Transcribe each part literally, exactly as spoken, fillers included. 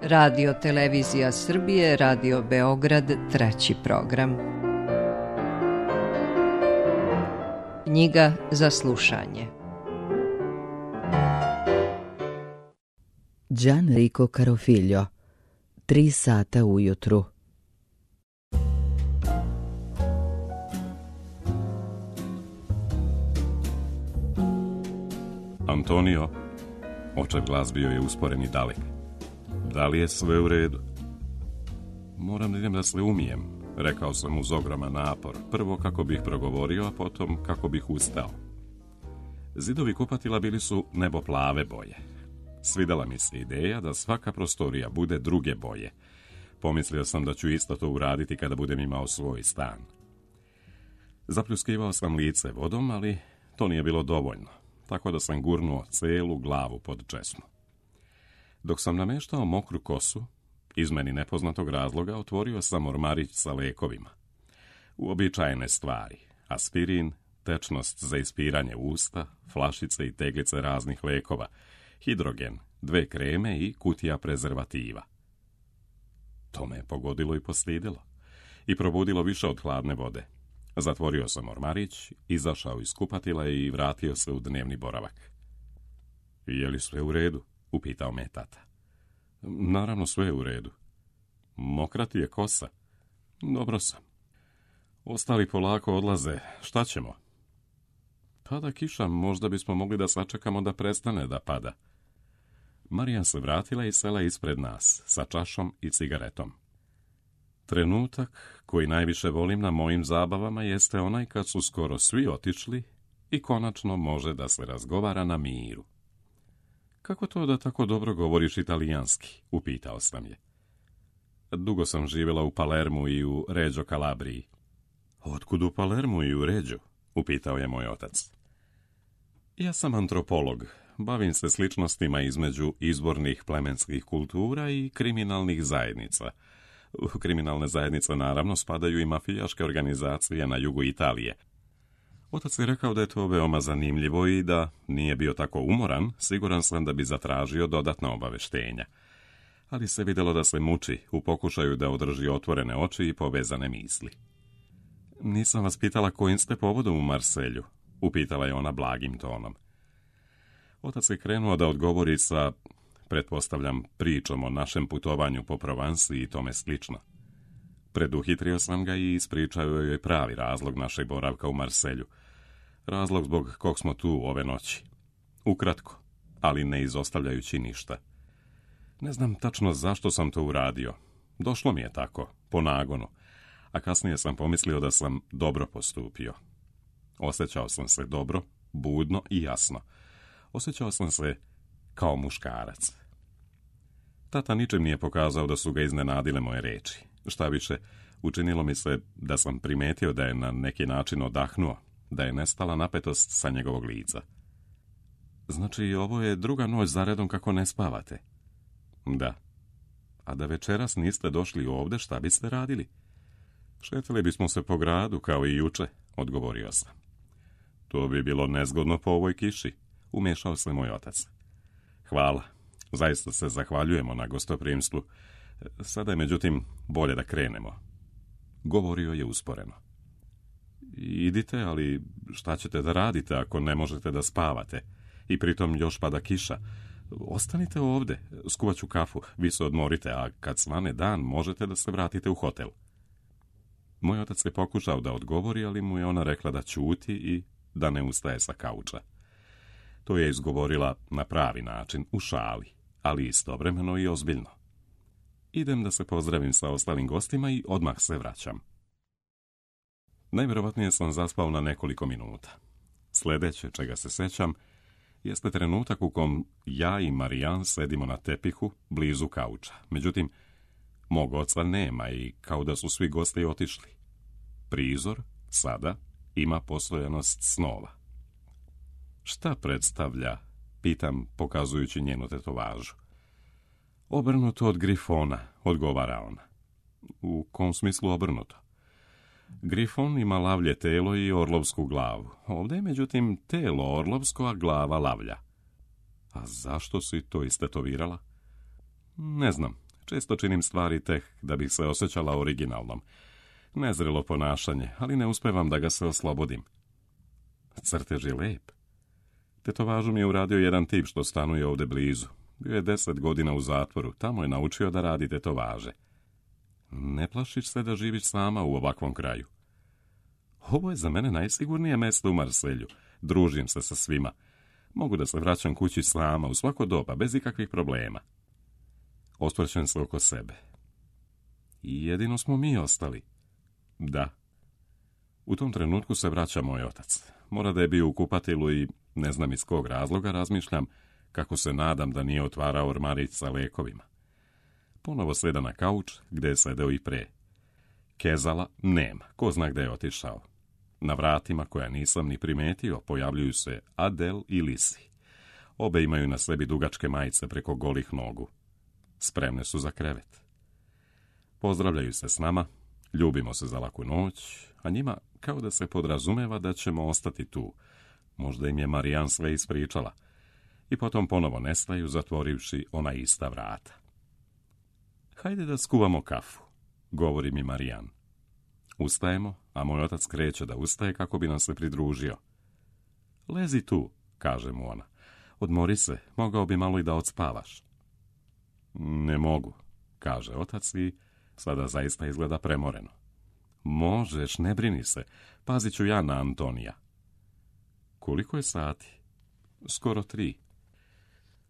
Radio Televizija Srbije, Radio Beograd, treći program. Knjiga za slušanje. Gianrico Carofiglio, Tri sata ujutru. Antonio, očev glas bio je usporen i dalek. Da li je sve u redu? Moram da idem da se umijem, rekao sam uz ogroman napor. Prvo kako bih progovorio, a potom kako bih ustao. Zidovi kupatila bili su nebo plave boje. Svidela mi se ideja da svaka prostorija bude druge boje. Pomislio sam da ću isto to uraditi kada budem imao svoj stan. Zapljuskivao sam lice vodom, ali to nije bilo dovoljno, tako da sam gurnuo celu glavu pod česmu. Dok sam nameštao mokru kosu, iz meni nepoznatog razloga otvorio sam ormarić sa lekovima. Uobičajene stvari, aspirin, tečnost za ispiranje usta, flašice i teglice raznih lekova, hidrogen, dve kreme i kutija prezervativa. To me je pogodilo i postidilo. I probudilo više od hladne vode. Zatvorio sam ormarić, izašao iz kupatila i vratio se u dnevni boravak. Je li sve u redu? Upitao me tata. Naravno sve je u redu. Mokra ti je kosa? Dobro sam. Ostali polako odlaze. Šta ćemo? Pada kiša, možda bismo mogli da sačekamo da prestane da pada. Marijan se vratila i sela ispred nas, sa čašom i cigaretom. Trenutak koji najviše volim na mojim zabavama jeste onaj kad su skoro svi otišli i konačno može da se razgovara na miru. Kako to da tako dobro govoriš italijanski? Upitao sam je. Dugo sam živjela u Palermu i u Reggio Calabriji. Otkud u Palermu i u Reggio? Upitao je moj otac. Ja sam antropolog. Bavim se sličnostima između izvornih plemenskih kultura i kriminalnih zajednica. U kriminalne zajednice naravno spadaju i mafijaške organizacije na jugu Italije. Otac je rekao da je to veoma zanimljivo i da nije bio tako umoran, siguran sam da bi zatražio dodatna obaveštenja. Ali se vidjelo da se muči u pokušaju da održi otvorene oči i povezane misli. Nisam vas pitala kojim ste povodom u Marselju, upitala je ona blagim tonom. Otac je krenuo da odgovori sa, pretpostavljam, pričom o našem putovanju po Provansi i tome slično. Preduhitrio sam ga i ispričao joj pravi razlog našeg boravka u Marselju. Razlog zbog kog smo tu ove noći. Ukratko, ali ne izostavljajući ništa. Ne znam tačno zašto sam to uradio. Došlo mi je tako, po nagonu, a kasnije sam pomislio da sam dobro postupio. Osjećao sam se dobro, budno i jasno. Osjećao sam se kao muškarac. Tata ničim nije pokazao da su ga iznenadile moje reči. Šta više, učinilo mi se da sam primetio da je na neki način odahnuo, da je nestala napetost sa njegovog lica. Znači, ovo je druga noć zaredom kako ne spavate? Da. A da večeras niste došli ovde, šta biste radili? Šetali bismo se po gradu, kao i juče, odgovorio sam. To bi bilo nezgodno po ovoj kiši, umješao se moj otac. Hvala, zaista se zahvaljujemo na gostoprimstvu. Sada je, međutim, bolje da krenemo. Govorio je usporeno. Idite, ali šta ćete da radite ako ne možete da spavate? I pritom još pada kiša. Ostanite ovde, skuvat ću kafu, vi se odmorite, a kad svane dan možete da se vratite u hotel. Moj otac je pokušao da odgovori, ali mu je ona rekla da ćuti i da ne ustaje sa kauča. To je izgovorila na pravi način, u šali, ali istovremeno i ozbiljno. Idem da se pozdravim sa ostalim gostima i odmah se vraćam. Najvjerovatnije sam zaspao na nekoliko minuta. Sljedeće, čega se sećam, jeste trenutak u kom ja i Marijan sedimo na tepihu blizu kauča. Međutim, mog oca nema i kao da su svi gosti otišli. Prizor, sada, ima postojanost snova. Šta predstavlja? Pitam, pokazujući njenu tetovažu. Obrnuto od grifona, odgovara ona. U kom smislu obrnuto? Grifon ima lavlje telo i orlovsku glavu. Ovdje je, međutim, telo orlovsko, a glava lavlja. A zašto si to istetovirala? Ne znam. Često činim stvari tek da bih se osjećala originalnom. Nezrelo ponašanje, ali ne uspevam da ga se oslobodim. Crtež je lep. Tetovažu mi je uradio jedan tip što stanuje ovde blizu. Bio je deset godina u zatvoru, tamo je naučio da radi tetovaže. Ne plašiš se da živiš sama u ovakvom kraju? Ovo je za mene najsigurnije mesto u Marselju. Družim se sa svima. Mogu da se vraćam kući sama u svako doba, bez ikakvih problema. Osvrćem se oko sebe. I jedino smo mi ostali. Da. U tom trenutku se vraća moj otac. Mora da je bio u kupatilu i, ne znam iz kog razloga, razmišljam kako se nadam da nije otvarao ormarić sa lekovima. Ponovo seda na kauč, gde je sedeo i pre. Kezala nema, ko zna gde je otišao. Na vratima, koja nisam ni primetio, pojavljuju se Adel i Lisi. Obe imaju na sebi dugačke majice preko golih nogu. Spremne su za krevet. Pozdravljaju se s nama, ljubimo se za laku noć, a njima kao da se podrazumeva da ćemo ostati tu. Možda im je Marijan sve ispričala. I potom ponovo nestaju, zatvorivši ona ista vrata. Hajde da skuvamo kafu, govori mi Marijan. Ustajemo, a moj otac kreće da ustaje kako bi nam se pridružio. Lezi tu, kaže mu ona. Odmori se, mogao bi malo i da odspavaš. Ne mogu, kaže otac i sada zaista izgleda premoreno. Možeš, ne brini se, pazit ću ja na Antonija. Koliko je sati? Skoro tri.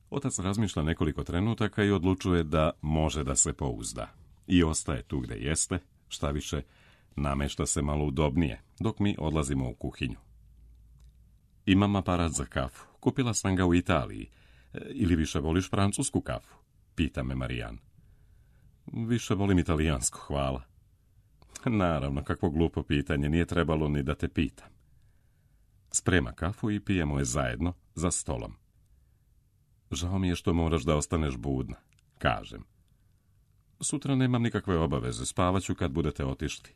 Otac razmišlja nekoliko trenutaka i odlučuje da može da se pouzda. I ostaje tu gde jeste, šta više, namešta se malo udobnije, dok mi odlazimo u kuhinju. Imam aparat za kafu. Kupila sam ga u Italiji. Ili više voliš francusku kafu? Pita me Marijan. Više volim italijansku, hvala. Naravno, kakvo glupo pitanje, nije trebalo ni da te pitam. Sprema kafu i pijemo je zajedno, za stolom. Žao mi je što moraš da ostaneš budna, kažem. Sutra nemam nikakve obaveze, spavaću kad budete otišli.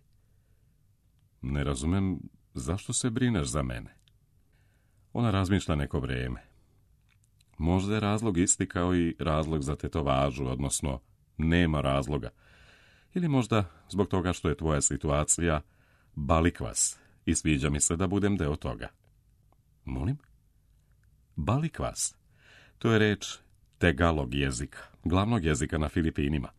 Ne razumem, zašto se brineš za mene? Ona razmišlja neko vreme. Možda je razlog isti kao i razlog za tetovažu, odnosno nema razloga. Ili možda zbog toga što je tvoja situacija balikvas i sviđa mi se da budem deo toga. Molim? Balikvas. To je reč tegalog jezika, glavnog jezika na Filipinima.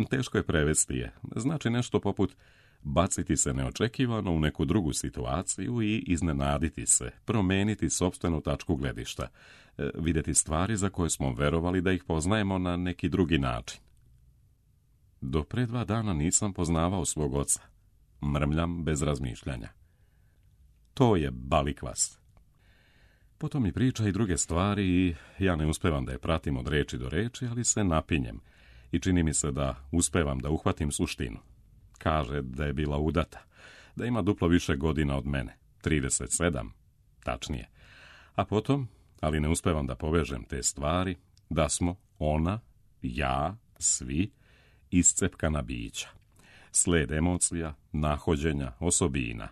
Teško je prevesti je. Znači nešto poput baciti se neočekivano u neku drugu situaciju i iznenaditi se, promeniti sopstvenu tačku gledišta, vidjeti stvari za koje smo verovali da ih poznajemo na neki drugi način. Do pre dva dana nisam poznavao svog oca. Mrmljam bez razmišljanja. To je balikvas. Potom mi priča i druge stvari i ja ne uspevam da je pratim od reči do reči, ali se napinjem i čini mi se da uspevam da uhvatim suštinu. Kaže da je bila udata, da ima duplo više godina od mene, trideset sedam, tačnije. A potom, ali ne uspevam da povežem te stvari, da smo ona, ja, svi, iscepkana bića. Sled emocija, nahođenja, osobina,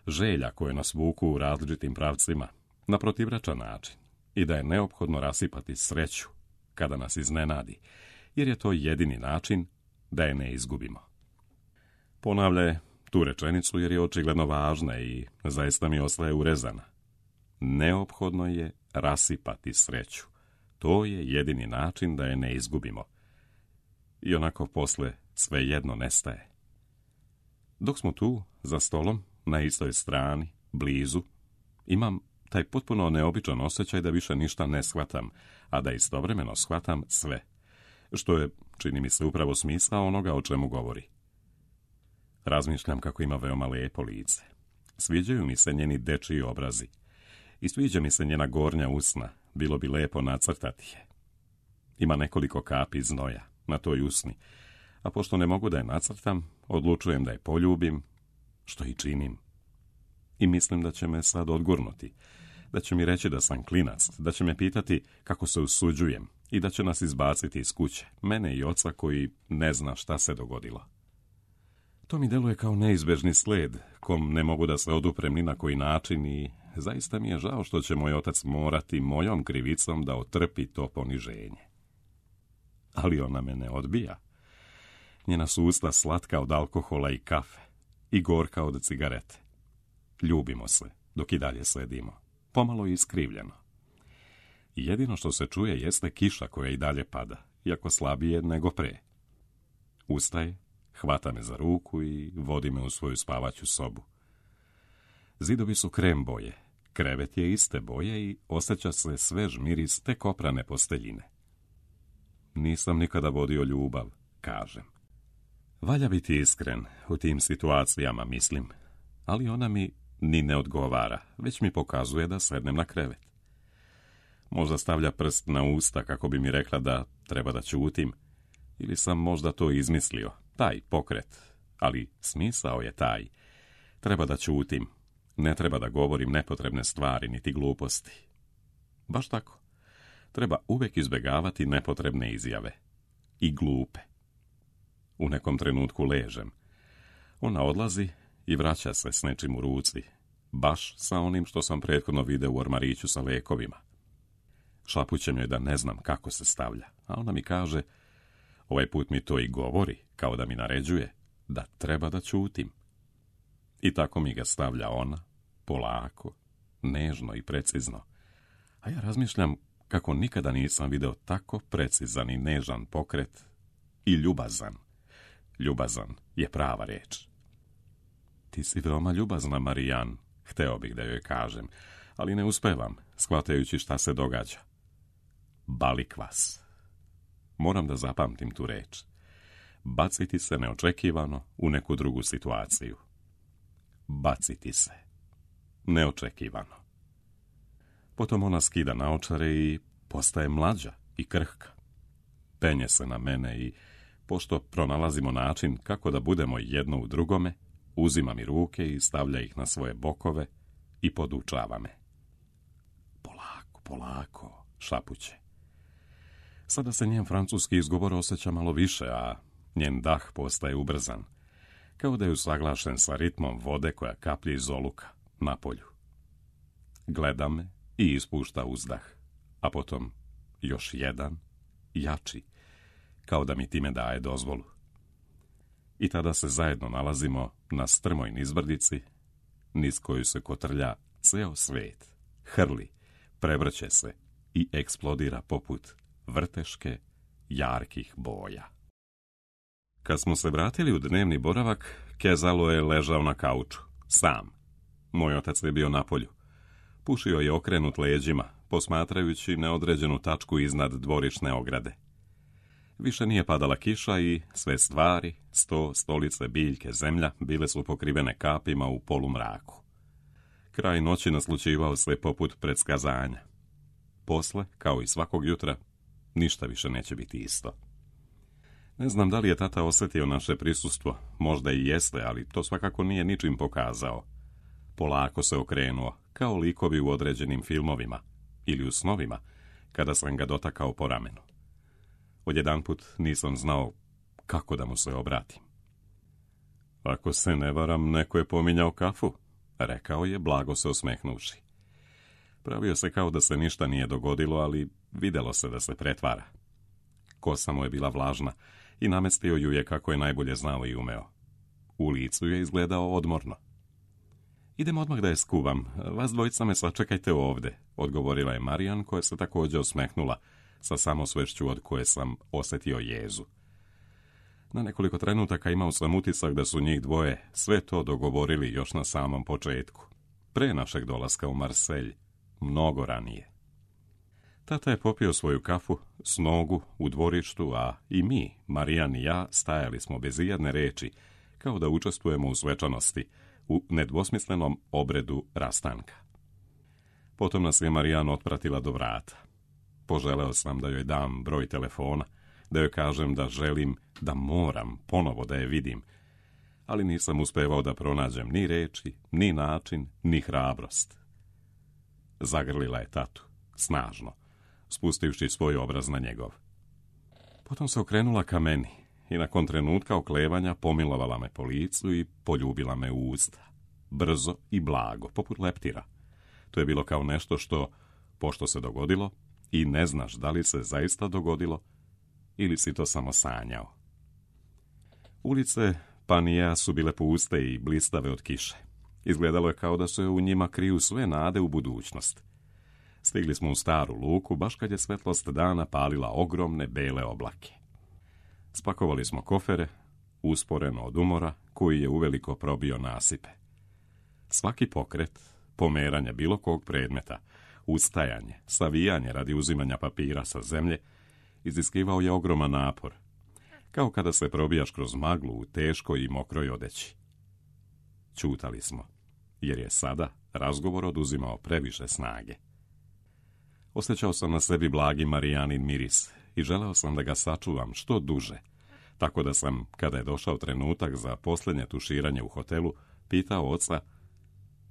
želja koje nas vuku u različitim pravcima, na protivračan način, i da je neophodno rasipati sreću kada nas iznenadi, jer je to jedini način da je ne izgubimo. Ponavlja je tu rečenicu jer je očigledno važna i zaista mi ostaje urezana. Neophodno je rasipati sreću. To je jedini način da je ne izgubimo. I onako posle svejedno nestaje. Dok smo tu, za stolom, na istoj strani, blizu, imam taj potpuno neobičan osjećaj da više ništa ne shvatam, a da istovremeno shvatam sve, što je, čini mi se, upravo smisao onoga o čemu govori. Razmišljam kako ima veoma lepo lice. Sviđaju mi se njeni dečiji obrazi. I sviđa mi se njena gornja usna, bilo bi lepo nacrtati je. Ima nekoliko kapi znoja na toj usni, a pošto ne mogu da je nacrtam, odlučujem da je poljubim, što i činim. I mislim da će me sad odgurnuti, da će mi reći da sam klinac, da će me pitati kako se usuđujem i da će nas izbaciti iz kuće, mene i oca koji ne zna šta se dogodilo. To mi deluje kao neizbežni sled, kom ne mogu da se oduprem ni na koji način i zaista mi je žao što će moj otac morati mojom krivicom da otrpi to poniženje. ali ona me ne odbija. Njena su usta slatka od alkohola i kafe i gorka od cigarete. Ljubimo se, dok i dalje sedimo, pomalo iskrivljeno. Jedino što se čuje jeste kiša koja i dalje pada, iako slabije nego pre. Ustaje, hvata me za ruku i vodi me u svoju spavaću sobu. Zidovi su krem boje, krevet je iste boje i osjeća se svež miris tek oprane posteljine. Nisam nikada vodio ljubav, kažem. Valja biti iskren, u tim situacijama mislim, ali ona mi ni ne odgovara, već mi pokazuje da sednem na krevet. Možda stavlja prst na usta kako bi mi rekla da treba da ćutim, ili sam možda to izmislio, taj pokret, ali smisao je taj. Treba da ćutim, ne treba da govorim nepotrebne stvari niti gluposti. Baš tako. Treba uvijek izbjegavati nepotrebne izjave. I glupe. U nekom trenutku ležem. Ona odlazi i vraća se s nečim u ruci. Baš sa onim što sam prethodno video u ormariću sa lekovima. Šapućem joj da ne znam kako se stavlja, a ona mi kaže, ovaj put mi to i govori, kao da mi naređuje, da treba da ćutim. I tako mi ga stavlja ona, polako, nežno i precizno. A ja razmišljam kako nikada nisam video tako precizan i nežan pokret i ljubazan. Ljubazan je prava reč. Ti si veoma ljubazna, Marijan, hteo bih da joj kažem, ali ne uspevam, shvatajući šta se događa. Balikvas. Moram da zapamtim tu reč. Baciti se neočekivano u neku drugu situaciju. Baciti se. Neočekivano. Potom ona skida naočare i postaje mlađa i krhka. Penje se na mene i, pošto pronalazimo način kako da budemo jedno u drugome, uzima mi ruke i stavlja ih na svoje bokove i podučava me. Polako, polako, šapuće. Sada se njen francuski izgovor osjeća malo više, a njen dah postaje ubrzan, kao da je usaglašen sa ritmom vode koja kaplje iz oluka na polju. Gleda me i ispušta uzdah, a potom još jedan, jači, kao da mi time daje dozvolu. I tada se zajedno nalazimo na strmoj nizbrdici, niz koju se kotrlja ceo svet, hrli, prevrće se i eksplodira poput vrteške jarkih boja. Kad smo se vratili u dnevni boravak, Kezalo je ležao na kauču, sam. Moj otac je bio na polju. Pušio je okrenut leđima, posmatrajući neodređenu tačku iznad dvorišne ograde. Više nije padala kiša i sve stvari, sto, stolice, biljke, zemlja, bile su pokrivene kapima u polumraku. Kraj noći naslućivao se poput predskazanja. Posle, kao i svakog jutra, ništa više neće biti isto. Ne znam da li je tata osjetio naše prisustvo, možda i jeste, ali to svakako nije ničim pokazao. Polako se okrenuo, kao likovi u određenim filmovima ili u snovima, kada sam ga dotakao po ramenu. Odjedanput nisam znao kako da mu se obratim. Ako se ne varam, neko je pominjao kafu, rekao je, blago se osmehnuši. Pravio se kao da se ništa nije dogodilo, ali videlo se da se pretvara. Kosa mu je bila vlažna i namestio ju je kako je najbolje znao i umeo. U licu je izgledao odmorno. Idem odmah da je skuvam, vas dvojica me sačekajte ovde, odgovorila je Marijan, koja se također osmehnula, sa samosvešću od koje sam osjetio jezu. Na nekoliko trenutaka imao sam utisak da su njih dvoje sve to dogovorili još na samom početku, pre našeg dolaska u Marselj, mnogo ranije. Tata je popio svoju kafu s nogu u dvorištu, a i mi, Marijan i ja, stajali smo bez ijedne reči, kao da učestvujemo u svečanosti, u nedvosmislenom obredu rastanka. Potom nas je Marijan otpratila do vrata. Poželeo sam da joj dam broj telefona, da joj kažem da želim, da moram ponovo da je vidim, ali nisam uspevao da pronađem ni reči, ni način, ni hrabrost. Zagrlila je tatu, snažno, spustivši svoj obraz na njegov. Potom se okrenula ka meni i nakon trenutka oklevanja pomilovala me po licu i poljubila me u usta. Brzo i blago, poput leptira. To je bilo kao nešto što, pošto se dogodilo, i ne znaš da li se zaista dogodilo, ili si to samo sanjao? Ulice Panija su bile puste i blistave od kiše. Izgledalo je kao da se u njima kriju sve nade u budućnost. Stigli smo u staru luku, baš kad je svetlost dana palila ogromne bele oblake. Spakovali smo kofere, usporeno od umora, koji je uveliko probio nasipe. Svaki pokret, pomeranje bilo kog predmeta, ustajanje, savijanje radi uzimanja papira sa zemlje, iziskivao je ogroman napor, kao kada se probijaš kroz maglu u teškoj i mokroj odeći. Ćutali smo, jer je sada razgovor oduzimao previše snage. Osjećao sam na sebi blagi Marijanin miris i želeo sam da ga sačuvam što duže, tako da sam, kada je došao trenutak za posljednje tuširanje u hotelu, pitao oca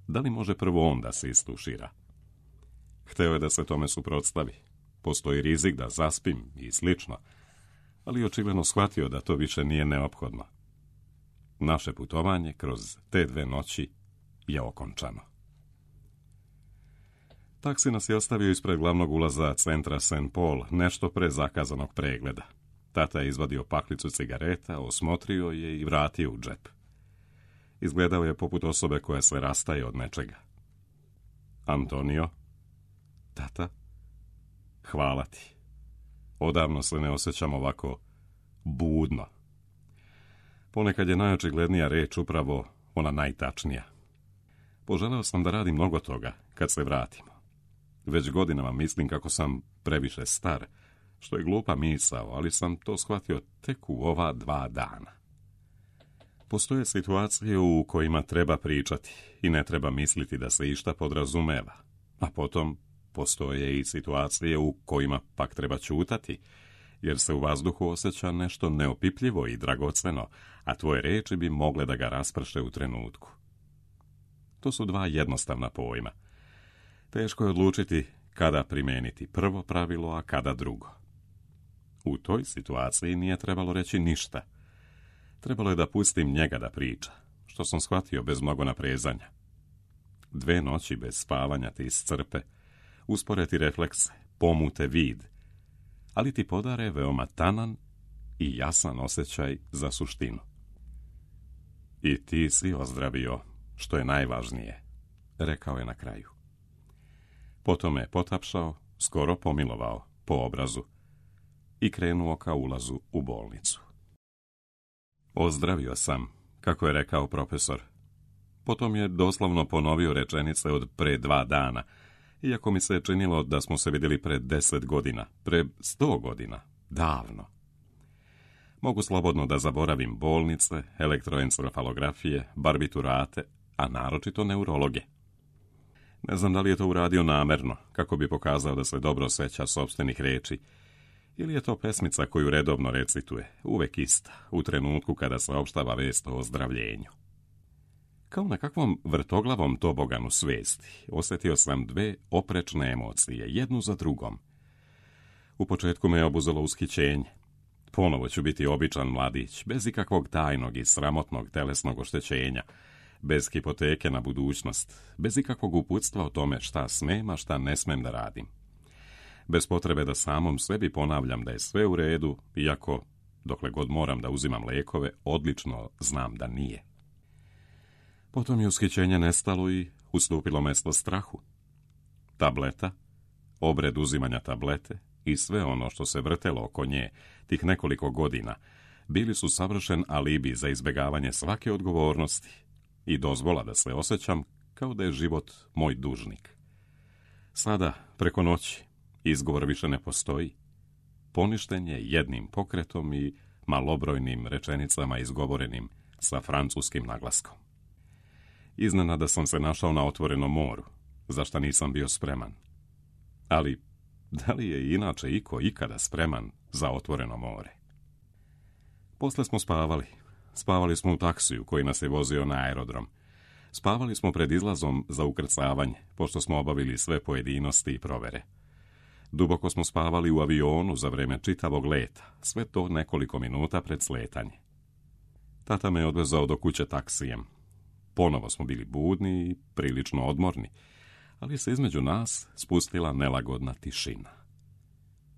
da li može prvo on da se istušira. Hteo je da se tome suprotstavi. Postoji rizik da zaspim i slično, ali očigledno shvatio da to više nije neophodno. Naše putovanje kroz te dve noći je okončano. Taksi nas je ostavio ispred glavnog ulaza centra Saint Paul, nešto pre zakazanog pregleda. Tata je izvadio paklicu cigareta, osmotrio je i vratio u džep. Izgledao je poput osobe koja se rastaje od nečega. Antonio, tata, hvala ti. Odavno se ne osjećam ovako budno. Ponekad je najočiglednija reč upravo ona najtačnija. Poželeo sam da radim mnogo toga kad se vratimo. Već godinama mislim kako sam previše star, što je glupa misao, ali sam to shvatio tek u ova dva dana. Postoje situacije u kojima treba pričati i ne treba misliti da se išta podrazumeva, a potom postoje i situacije u kojima pak treba ćutati, jer se u vazduhu osjeća nešto neopipljivo i dragoceno, a tvoje reči bi mogle da ga rasprše u trenutku. To su dva jednostavna pojma. Teško je odlučiti kada primijeniti prvo pravilo, a kada drugo. U toj situaciji nije trebalo reći ništa. Trebalo je da pustim njega da priča, što sam shvatio bez mnogo naprezanja. Dve noći bez spavanja te iscrpe, uspore ti reflekse, pomute vid, ali ti podare veoma tanan i jasan osjećaj za suštinu. I ti si ozdravio, što je najvažnije, rekao je na kraju. Potom me potapšao, skoro pomilovao po obrazu i krenuo ka ulazu u bolnicu. Ozdravio sam, kako je rekao profesor. Potom je doslovno ponovio rečenice od pre dva dana, iako mi se činilo da smo se vidjeli pre deset godina, pre sto godina, davno. Mogu slobodno da zaboravim bolnice, elektroencefalografije, barbiturate, a naročito neurologe. Ne znam da li je to uradio namerno, kako bi pokazao da se dobro seća sopstvenih reči, ili je to pesmica koju redovno recituje, uvek ista, u trenutku kada saopštava vest o ozdravljenju. Kao na kakvom vrtoglavom toboganu svesti, osjetio sam dve oprečne emocije, jednu za drugom. U početku me je obuzelo ushićenje. Ponovo ću biti običan mladić, bez ikakvog tajnog i sramotnog telesnog oštećenja, bez hipoteke na budućnost, bez ikakvog uputstva o tome šta smem, a šta ne smem da radim. Bez potrebe da samom sebi ponavljam da je sve u redu, iako, dokle god moram da uzimam lekove, odlično znam da nije. Potom je ushićenje nestalo i ustupilo mesto strahu. Tableta, obred uzimanja tablete i sve ono što se vrtelo oko nje tih nekoliko godina bili su savršen alibi za izbjegavanje svake odgovornosti i dozvola da se osjećam kao da je život moj dužnik. Sada, preko noći, izgovor više ne postoji. Poništen je jednim pokretom i malobrojnim rečenicama izgovorenim sa francuskim naglaskom. Iznenada sam se našao na otvorenom moru, za šta nisam bio spreman. Ali, da li je inače iko ikada spreman za otvoreno more? Posle smo spavali. Spavali smo u taksiju koji nas je vozio na aerodrom. Spavali smo pred izlazom za ukrcavanje, pošto smo obavili sve pojedinosti i provere. Duboko smo spavali u avionu za vreme čitavog leta, sve to nekoliko minuta pred sletanje. Tata me je odvezao do kuće taksijem. Ponovo smo bili budni i prilično odmorni, ali se između nas spustila nelagodna tišina.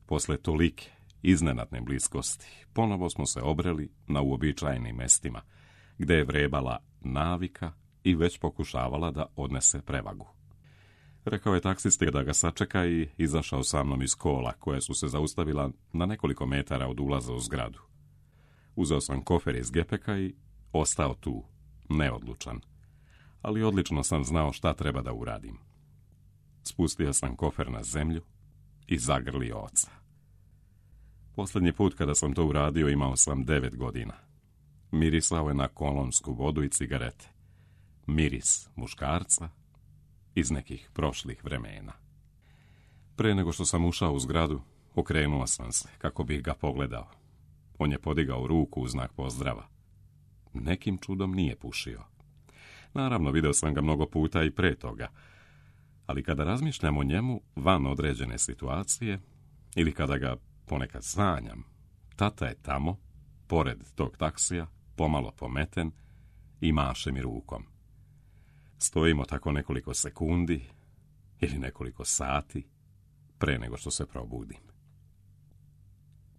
Posle tolike iznenadne bliskosti, ponovo smo se obreli na uobičajenim mestima, gde je vrebala navika i već pokušavala da odnese prevagu. Rekao je taksisti da ga sačeka i izašao sa mnom iz kola, koje su se zaustavila na nekoliko metara od ulaza u zgradu. Uzeo sam kofer iz gepeka i ostao tu, neodlučan, ali odlično sam znao šta treba da uradim. Spustio sam kofer na zemlju i zagrlio oca. Posljednji put kada sam to uradio imao sam devet godina. Mirisao je na kolonsku vodu i cigarete. Miris muškarca iz nekih prošlih vremena. Pre nego što sam ušao u zgradu, okrenuo sam se kako bih ga pogledao. On je podigao ruku u znak pozdrava. Nekim čudom nije pušio. Naravno, video sam ga mnogo puta i pre toga, ali kada razmišljam o njemu van određene situacije ili kada ga ponekad sanjam, tata je tamo, pored tog taksija, pomalo pometen i maše mi rukom. Stojimo tako nekoliko sekundi ili nekoliko sati pre nego što se probudim.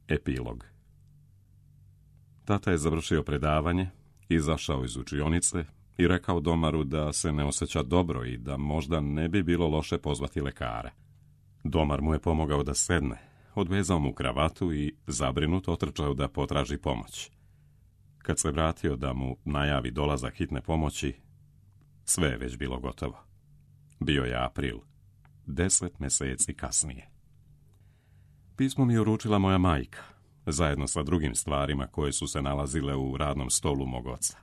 Epilog. Tata je završio predavanje, izašao iz učionice i rekao domaru da se ne osjeća dobro i da možda ne bi bilo loše pozvati lekara. Domar mu je pomogao da sedne, odvezao mu kravatu i zabrinut otrčao da potraži pomoć. Kad se vratio da mu najavi dolazak hitne pomoći, sve je već bilo gotovo. Bio je april, deset meseci kasnije. Pismo mi je uručila moja majka, zajedno sa drugim stvarima koje su se nalazile u radnom stolu mog oca.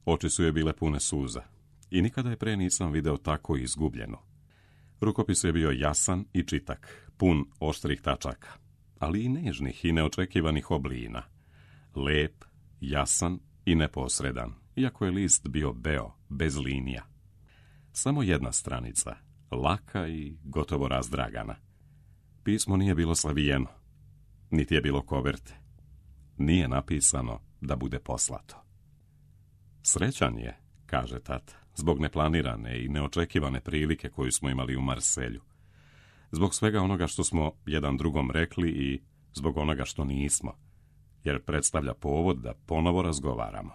Oči su je bile pune suza i nikada je pre nisam video tako izgubljenu. Rukopis je bio jasan i čitak, pun oštrih tačaka, ali i nežnih i neočekivanih oblina. Lep, jasan i neposredan, iako je list bio beo, bez linija. Samo jedna stranica, laka i gotovo razdragana. Pismo nije bilo slavijeno, niti je bilo koverte. Nije napisano da bude poslato. Srećan je, kaže tata, zbog neplanirane i neočekivane prilike koju smo imali u Marselju. Zbog svega onoga što smo jedan drugom rekli i zbog onoga što nismo, jer predstavlja povod da ponovo razgovaramo.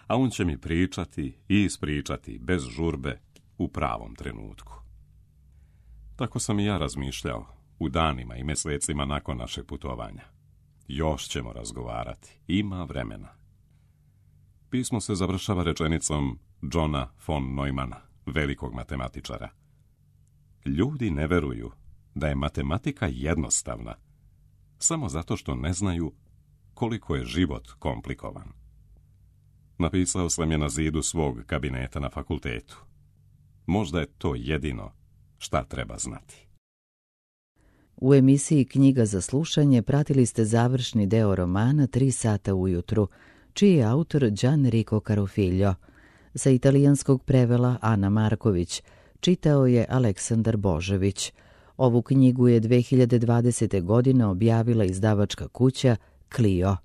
A on će mi pričati i ispričati bez žurbe u pravom trenutku. Tako sam i ja razmišljao u danima i mesecima nakon našeg putovanja. Još ćemo razgovarati, ima vremena. Pismo se završava rečenicom Johna von Neumana, velikog matematičara. Ljudi ne veruju da je matematika jednostavna, samo zato što ne znaju koliko je život komplikovan. Napisao sam je na zidu svog kabineta na fakultetu. Možda je to jedino šta treba znati. U emisiji Knjiga za slušanje pratili ste završni deo romana Tri sata ujutru, čiji je autor Gianrico Carofiglio. Sa italijanskog prevela Ana Marković, čitao je Aleksandar Božević. Ovu knjigu je dve hiljade dvadesete. godine objavila izdavačka kuća Clio.